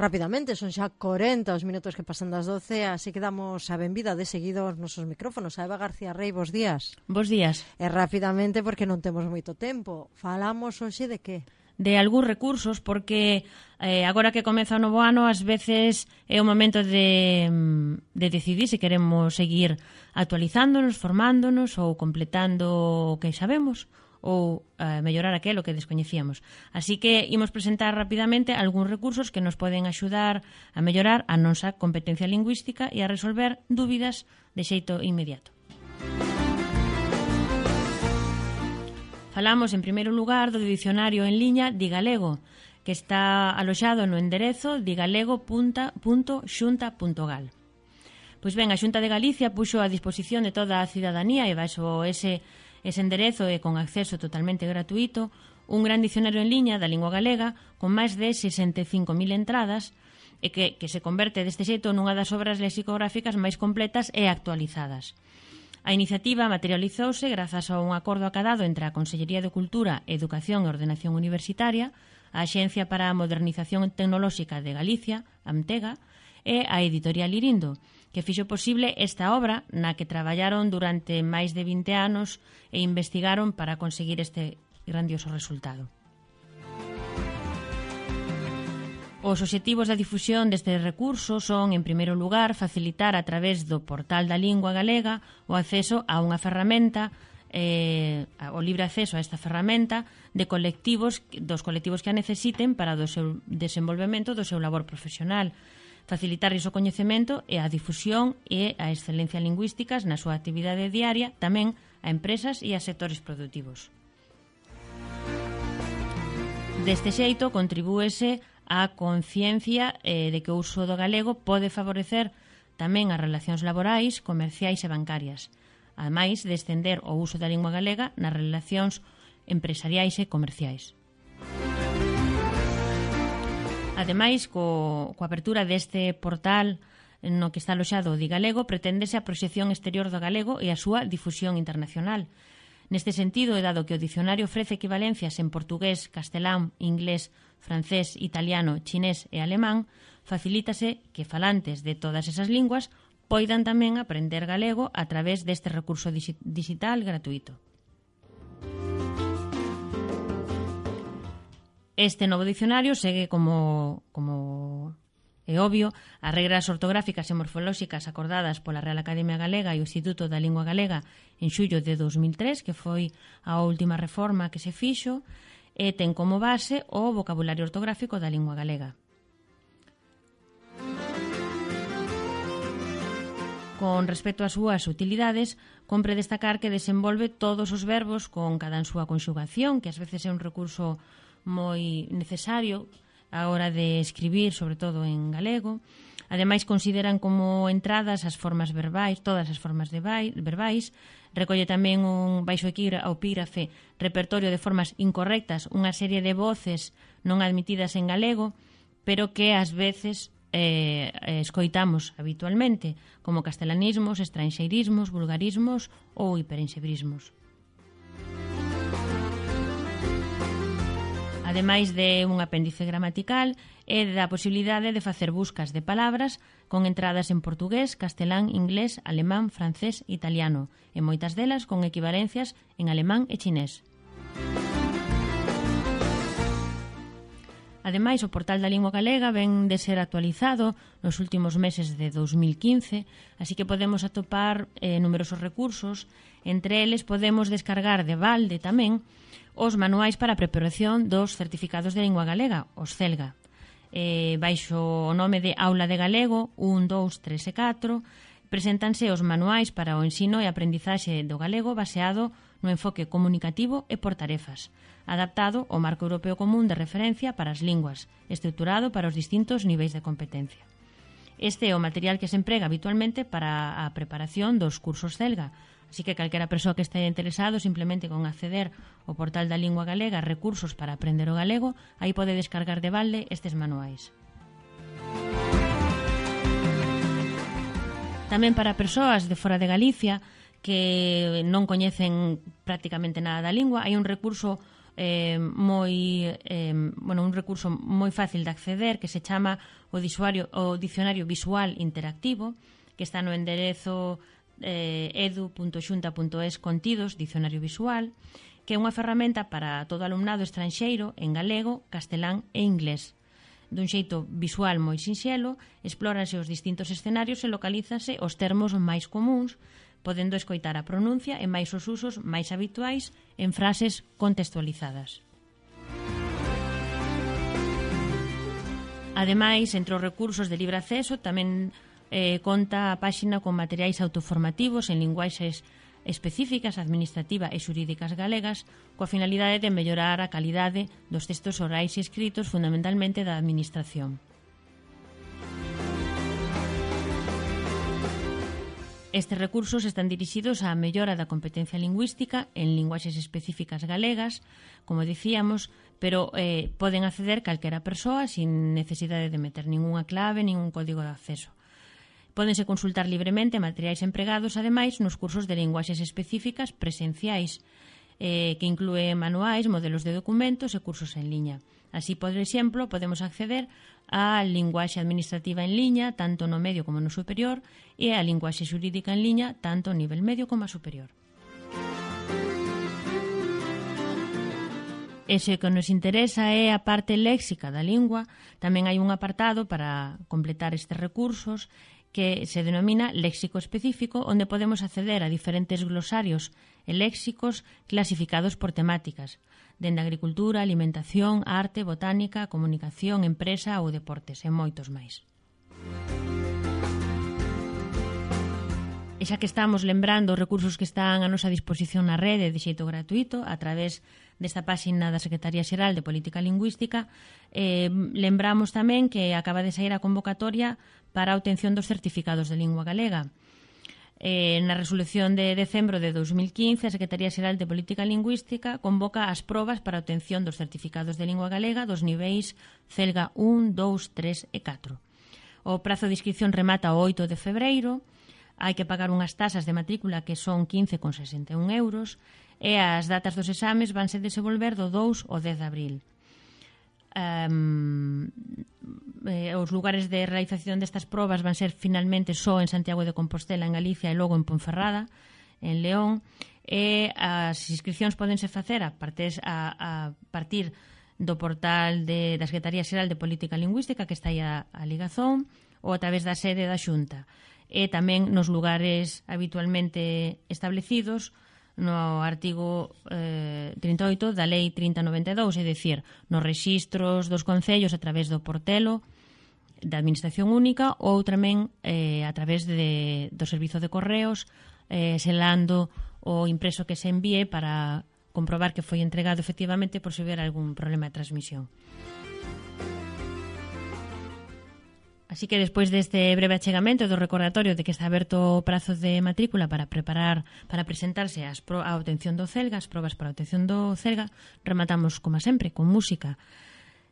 Rapidamente, son xa 40 os minutos que pasan das 12, así que damos a benvida de seguido aos nosos micrófonos. A Eva García Rey, bos días. Bos días. E rapidamente, porque non temos moito tempo, falamos hoxe de que? De algúns recursos, porque agora que comeza o novo ano, ás veces é o momento de decidir se queremos seguir actualizándonos, formándonos ou completando o que sabemos ou mellorar aquilo que descoñecíamos. Así que imos presentar rapidamente algúns recursos que nos poden axudar a mellorar a nosa competencia lingüística e a resolver dúbidas de xeito inmediato. Falamos, en primeiro lugar, do dicionario en liña Digalego, que está aloxado no enderezo digalego.xunta.gal. Pois ben, a Xunta de Galicia puxo a disposición de toda a cidadanía e baixo ese enderezo e con acceso totalmente gratuito un gran dicionario en liña da lingua galega con máis de 65.000 entradas e que se converte deste xeito nunha das obras lexicográficas máis completas e actualizadas. A iniciativa materializouse grazas a un acordo acadado entre a Consellería de Cultura, Educación e Ordenación Universitaria, a Axencia para a Modernización Tecnolóxica de Galicia, AMTEGA, e a Editorial Irindo, que fixo posible esta obra na que traballaron durante máis de 20 anos e investigaron para conseguir este grandioso resultado. Os obxectivos da difusión deste recurso son, en primeiro lugar, facilitar a través do portal da lingua galega o acceso a unha ferramenta, o libre acceso a esta ferramenta dos colectivos que a necesiten para o seu desenvolvemento do seu labor profesional, facilitarlles o coñecemento e a difusión e a excelencia lingüísticas na súa actividade diaria, tamén a empresas e a sectores productivos. Deste xeito, contribúese á conciencia de que o uso do galego pode favorecer tamén as relacións laborais, comerciais e bancarias, ademais de estender o uso da lingua galega nas relacións empresariais e comerciais. Ademais, coa apertura deste portal no que está aloxado o Digalego, preténdese a proxección exterior do galego e a súa difusión internacional. Neste sentido, e dado que o dicionario ofrece equivalencias en portugués, castelán, inglés, francés, italiano, chinés e alemán, facilítase que falantes de todas esas linguas poidan tamén aprender galego a través deste recurso digital gratuito. Este novo dicionario segue como é obvio, as regras ortográficas e morfolóxicas acordadas pola Real Academia Galega e o Instituto da Lingua Galega en xullo de 2003, que foi a última reforma que se fixo, e ten como base o vocabulario ortográfico da lingua galega. Con respecto ás súas utilidades, compre destacar que desenvolve todos os verbos con cada en súa conxugación, que ás veces é un recurso moi necesario a hora de escribir, sobre todo en galego. Ademais, consideran como entradas as formas verbais, todas as formas verbais. Recolle tamén baixo o epígrafe repertorio de formas incorrectas, unha serie de voces non admitidas en galego, pero que ás veces escoitamos habitualmente, como castelanismos, estranxeirismos, vulgarismos ou hiperensebrismos. Ademais de un apéndice gramatical e da posibilidade de facer buscas de palabras con entradas en portugués, castelán, inglés, alemán, francés, italiano e moitas delas con equivalencias en alemán e chinés. Ademais, o portal da lingua galega ven de ser actualizado nos últimos meses de 2015, así que podemos atopar numerosos recursos. Entre eles podemos descargar de balde tamén os manuais para a preparación dos certificados de lingua galega, os CELGA. Baixo o nome de Aula de Galego 1, 2, 3 e 4, preséntanse os manuais para o ensino e aprendizaxe do galego baseado no enfoque comunicativo e por tarefas, adaptado ao Marco Europeo Común de Referencia para as Linguas, estruturado para os distintos niveis de competencia. Este é o material que se emprega habitualmente para a preparación dos cursos CELGA, así que calquera persoa que este interesado simplemente con acceder ao portal da lingua galega recursos para aprender o galego, aí pode descargar de balde estes manuais. Tamén para persoas de fora de Galicia que non coñecen prácticamente nada da lingua, hai un recurso un recurso moi fácil de acceder que se chama o Dicionario Visual Interactivo, que está no enderezo edu.xunta.es contidos, Dicionario Visual, que é unha ferramenta para todo alumnado estranxeiro en galego, castelán e inglés. Dun xeito visual moi sinxelo, explóranse os distintos escenarios e localízanse os termos máis comuns, podendo escoitar a pronuncia e máis os usos máis habituais en frases contextualizadas. Ademais, entre os recursos de libre acceso tamén conta a páxina con materiais autoformativos en linguaxes específicas, administrativa e xurídicas galegas, coa finalidade de mellorar a calidade dos textos orais e escritos, fundamentalmente da administración. Estes recursos están dirixidos á mellora da competencia lingüística en linguaxes específicas galegas, como dicíamos, pero poden acceder calquera persoa sin necesidade de meter ningunha clave, ningún código de acceso. Pódense consultar libremente materiais empregados, ademais, nos cursos de linguaxes específicas presenciais, que inclúen manuais, modelos de documentos e cursos en liña. Así, por exemplo, podemos acceder á linguaxe administrativa en liña, tanto no medio como no superior, e á linguaxe xurídica en liña, tanto a nivel medio como a superior. E se o que nos interesa é a parte léxica da lingua, tamén hai un apartado para completar estes recursos que se denomina léxico específico, onde podemos acceder a diferentes glosarios e léxicos clasificados por temáticas, dende agricultura, alimentación, arte, botánica, comunicación, empresa ou deportes, e moitos máis. E xa que estamos lembrando os recursos que están a nosa disposición na rede de xeito gratuito a través desta páxina da Secretaría Xeral de Política Lingüística, lembramos tamén que acaba de sair a convocatoria para a obtención dos certificados de lingua galega. Na resolución de decembro de 2015, a Secretaría Xeral de Política Lingüística convoca as probas para a obtención dos certificados de lingua galega dos niveis CELGA 1, 2, 3 e 4. O prazo de inscripción remata o 8 de febreiro, hai que pagar unhas tasas de matrícula que son 15,61 euros e as datas dos exames vanse desenvolver do 2 ao 10 de abril. Os lugares de realización destas probas van ser finalmente só en Santiago de Compostela, en Galicia, e logo en Ponferrada, en León, e as inscripcións podense facer a partir do portal da Secretaría Xeral de Política Lingüística, que está aí a ligazón, ou a través da sede da Xunta, e tamén nos lugares habitualmente establecidos no artigo 38 da Lei 3092, é dicir, nos rexistros dos concellos a través do portelo da Administración Única ou tamén a través do Servizo de Correos, selando o impreso que se envíe para comprobar que foi entregado efectivamente por se houber algún problema de transmisión. Así que despois deste breve achegamento do recordatorio de que está aberto o prazo de matrícula para presentarse a obtención do CELGA, as probas para a obtención do CELGA, rematamos, como sempre, con música.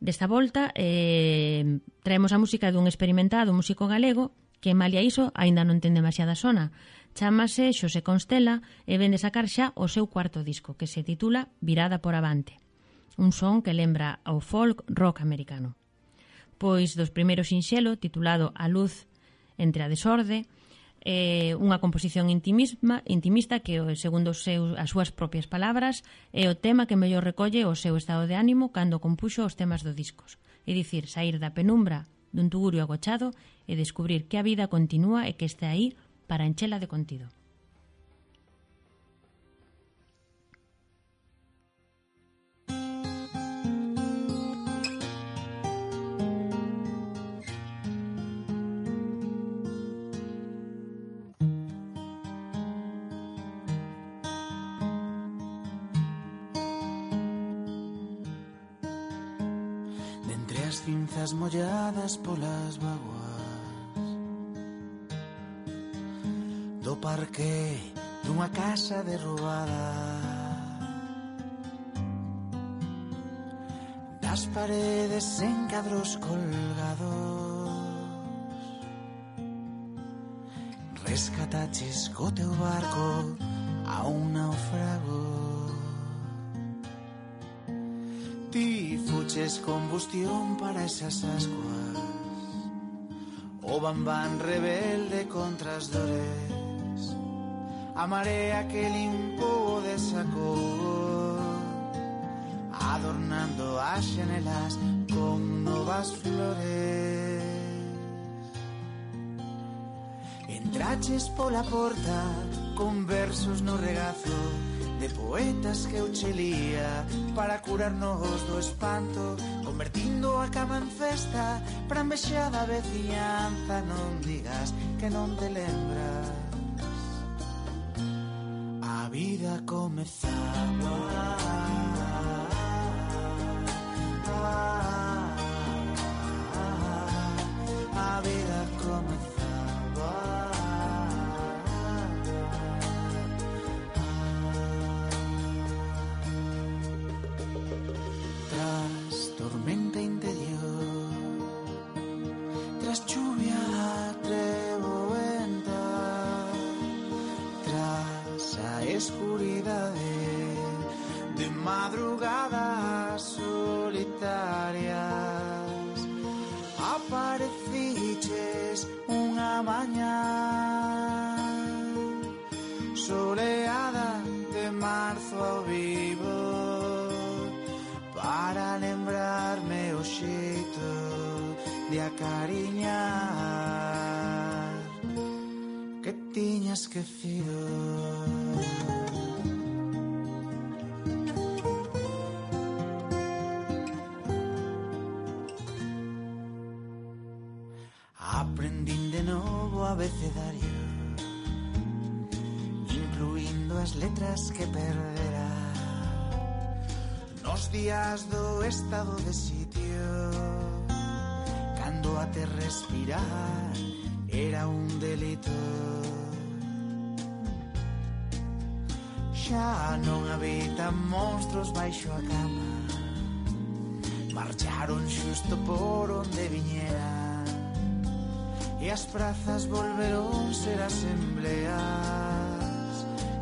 Desta volta, traemos a música dun experimentado músico galego que, malia iso, aínda non ten demasiada sona. Chámase Xosé Constela e vende sacar xa o seu cuarto disco, que se titula Virada por Avante. Un son que lembra ao folk rock americano. Pois dos primeiros sinxelo, titulado A luz entre a desorde, unha composición intimista que, segundo as súas propias palabras, é o tema que mellor recolle o seu estado de ánimo cando compuxo os temas do discos. É dicir, sair da penumbra dun tugurio agochado e descubrir que a vida continúa e que está aí para enchela de contido. Cinzas molladas polas vaguas do parque dunha casa derrubada, das paredes en cadros colgados, rescataches co teu barco a un naufrago. traches combustión para esas ascuas. O bambán rebelde contra as dores, a marea que limpo desacou, adornando as xanelas con novas flores. Entraches pola porta con versos no regazo de poetas que eu chelía para curarnos do espanto, convertindo a cama en festa para envexada veciñanza. Non digas que non te lembras, a vida comezaba. A vida comezaba. Tormenta interior, tras chuvia trevoenta, tras a escuridade de madrugadas solitarias, apareciches unha mañá soleada de marzo ao vivo, para lembrarme o xeito de acariñar que tiña esquecido. Aprendín de novo abecedario, incluindo as letras que perdera nos días do estado de sitio, cando até respirar era un delito. Xa non habitan monstros baixo a cama, marcharon xusto por onde viñeran, e as prazas volveron ser asembleas,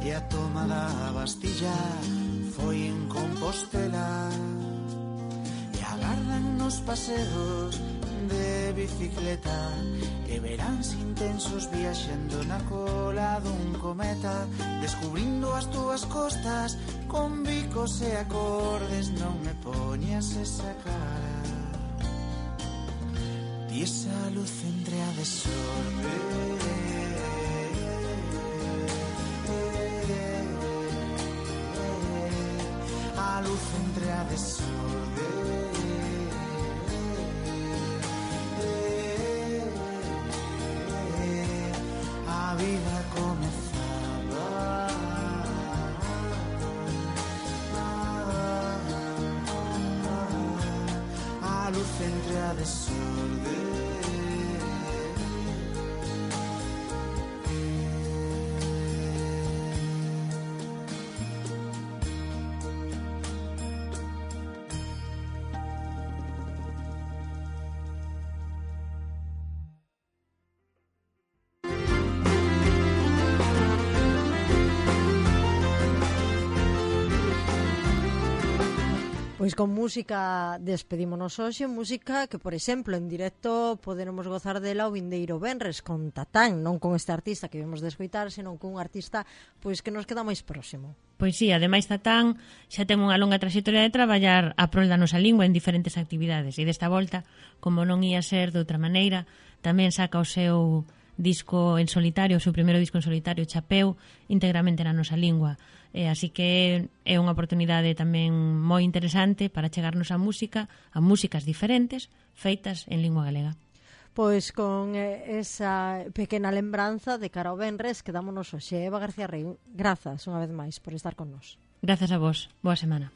e a toma da Bastilla foi en Compostela, e agardan nos paseos de bicicleta, e veráns intensos viaxando na cola dun cometa, descubrindo as túas costas con bicos e acordes. Non me poñas esa cara, ti esa luz entre a desorden, a luz entre a desorden, a vida comezaba, a luz entre a desorden. Pois con música despedímonos hoxe, música que, por exemplo, en directo poderemos gozar dela o vindeiro venres con Tatán, non con este artista que vemos de escoitar, senón con un artista pois que nos queda máis próximo. Pois sí, ademais Tatán xa ten unha longa traxectoria de traballar a prol da nosa lingua en diferentes actividades, e desta volta, como non ia ser de outra maneira, tamén saca o seu disco en solitario, o seu primeiro disco en solitario, Chapeu, íntegramente na nosa lingua. Así que é unha oportunidade tamén moi interesante para chegarnos a músicas diferentes feitas en lingua galega. Pois con esa pequena lembranza de cara ao venres quedámonos hoxe. Eva García Rei, grazas unha vez máis por estar con nós. Grazas a vos, boa semana.